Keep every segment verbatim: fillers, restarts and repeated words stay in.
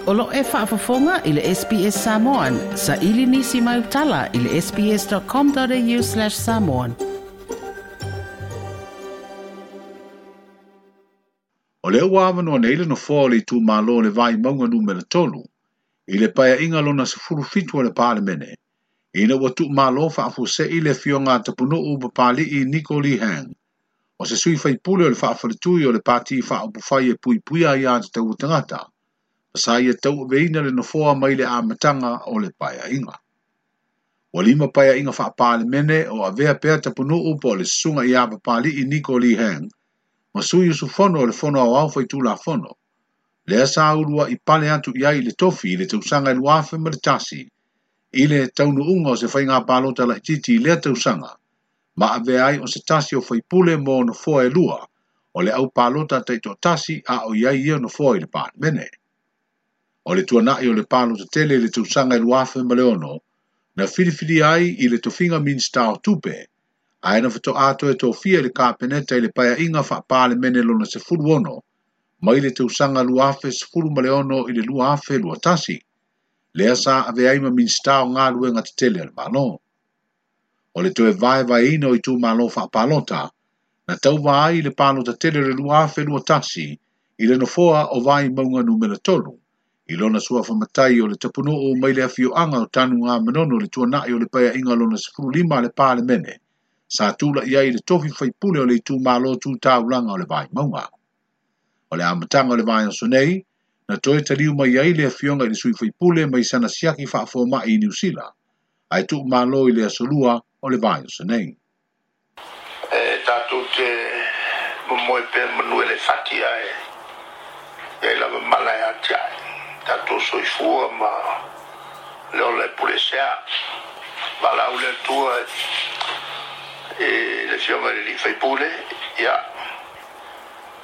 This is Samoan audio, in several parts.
O lo e faafofoga i le S B S Samoan, sa ili nisi mai utala i le sbs.com.au slash samoan. O lea ua avanoa nei le nofoa o le itumalo o le Vaimauga numera tolu, i le paeaiga lona sefulu fitu o le Palemene, ina ua tuumalo faafuasei le afioga a Tapunuu Papali'i Niko Lee Hang, o se sui faipule o le faafaletui o le pati faaupufai e puipuia ai aiatatau a tagata, sa ia tauaveina le nofoa mai le amataga o le paeaiga. Ua lima paeaiga faapalemene o avea pea Tapunuu po o le susuga ia Papali'i Niko Lee Hang, ma sui usufono o le Fono Aoao Faitulafono, lea sa uluai pale atu i ai i le tofi i le tausaga e lua afe ma le tasi, i le taunuuga o se faiga palota laitiiti i lea tausaga, ma avea ai o se tasi o faipule mo nofoa e lua, o le aupalota taitoatasi a o i ai ia nofoa i le Palemene. O le tuanai o le palota tele i le tausaga e lua afe ma le ono, na filifilia ai i le tofiga Minista o Tupe, ae na faatoa toe tofia i le Kapeneta i le paeaiga faapalemene lona sefulu ono, mai le tausaga lua afe sefulu ma le ono i le lua afe lua tasi, lea sa avea ai ma Minista o Galuega Tetele a le Malo. O le toe vaevaeina o itumalo faapalota, na tauva ai i le palota tele o le lua afe lua tasi i le nofoa o Vaimauga numera tolu, i lona suafa matai o le Tapunuu mai le afioaga o Tanugamanono le tuanai o le paeaiga lona sefulu lima a le Palemene, sa tula'i ai i le tofi faipule o le itumalo tu taulaga o le Vaimauga. O le amataga o le vaiaso nei, na toe taliu mai ai le afioga i le sui faipule mai sana siaki faafoma'i i Niu Sila, ae tuumalo i le aso lua o le vaiaso nei. E tatou te momoe pea manu e le fati ae, ia i lava mala e ati ae. Tatou soifua ma le ola e pule sea. Valaau le Atua e le afioga i le alii faipule, ia,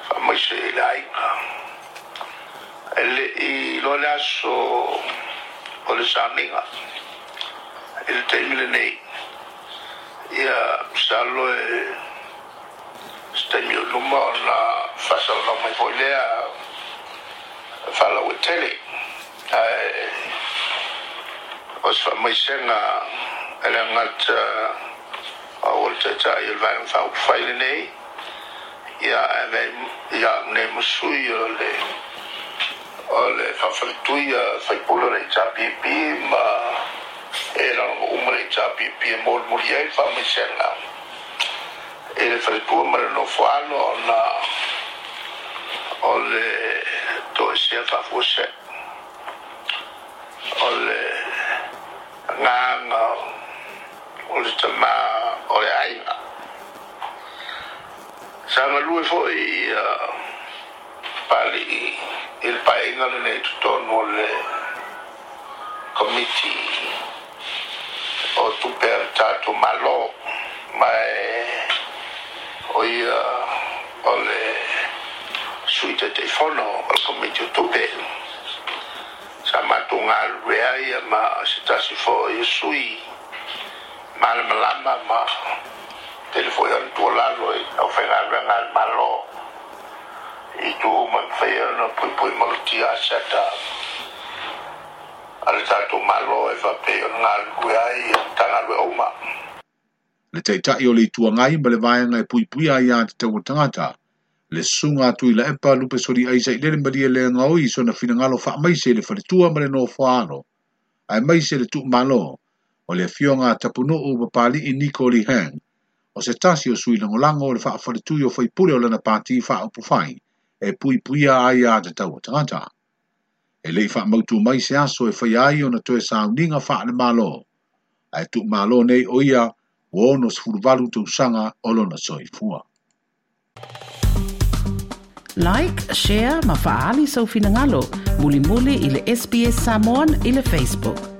faamaise i le aiga. E le'i loa le aso o le sauniga i le taimi lenei, ia masalo e se taimi o luma ona faasalalau mai foi lea faalauaitele. Ae o se faamaisega e le gata o le taitai o le vaega faaupufai lenei, ia ae ia au nei ma sui o le o le faafaletui a faipule o le H R P P ma e lalogo uma le H R P P e molimoli ai le faamaisega i le faletua ma le nofoalo ona o le toesea faafuasei. O le agaga o le tamā o le aiga. Sa galue foi ia Papali'i i le paeaiga lenei totonu o le komiti o tupe a le tatou Malo, ma e o ia o le sui taitaifono o le komiti o tupe. Sa matou galue ai ma se tasi foi o sui malamalama ma tele foi ona tuualalo i aufaigaluega a le Malo i itu uma e mafai ona puipui malutia aseta a le tatou Malo e faapei ona galulue ai Matagaluega uma. Le taitai o le Itu Agai ma le vaega e puipuia ai aiatatau a tagata, le susuga a Tuilaepa Lupesoliai Sailele Malielegaoi i sona finagalo faamaise i le faletua ma le nofoaalo, aemaise le tuumalo o le afioga a Tapunuu Papali'i Niko Lee Hang, o se tasi o sui lagolago o le faafaletui o faipule o lana pati faaupufai e puipuia ai aiatatau a tagata. E le'i faamautu mai se aso e faia ai ona toe sauniga faale-Malo, ae tuumalo nei o ia ua ono sefulu valu tausaga o lona soifua. Like, share ma faali sau finagalo, mulimuli i le S B S Samoan i le Facebook.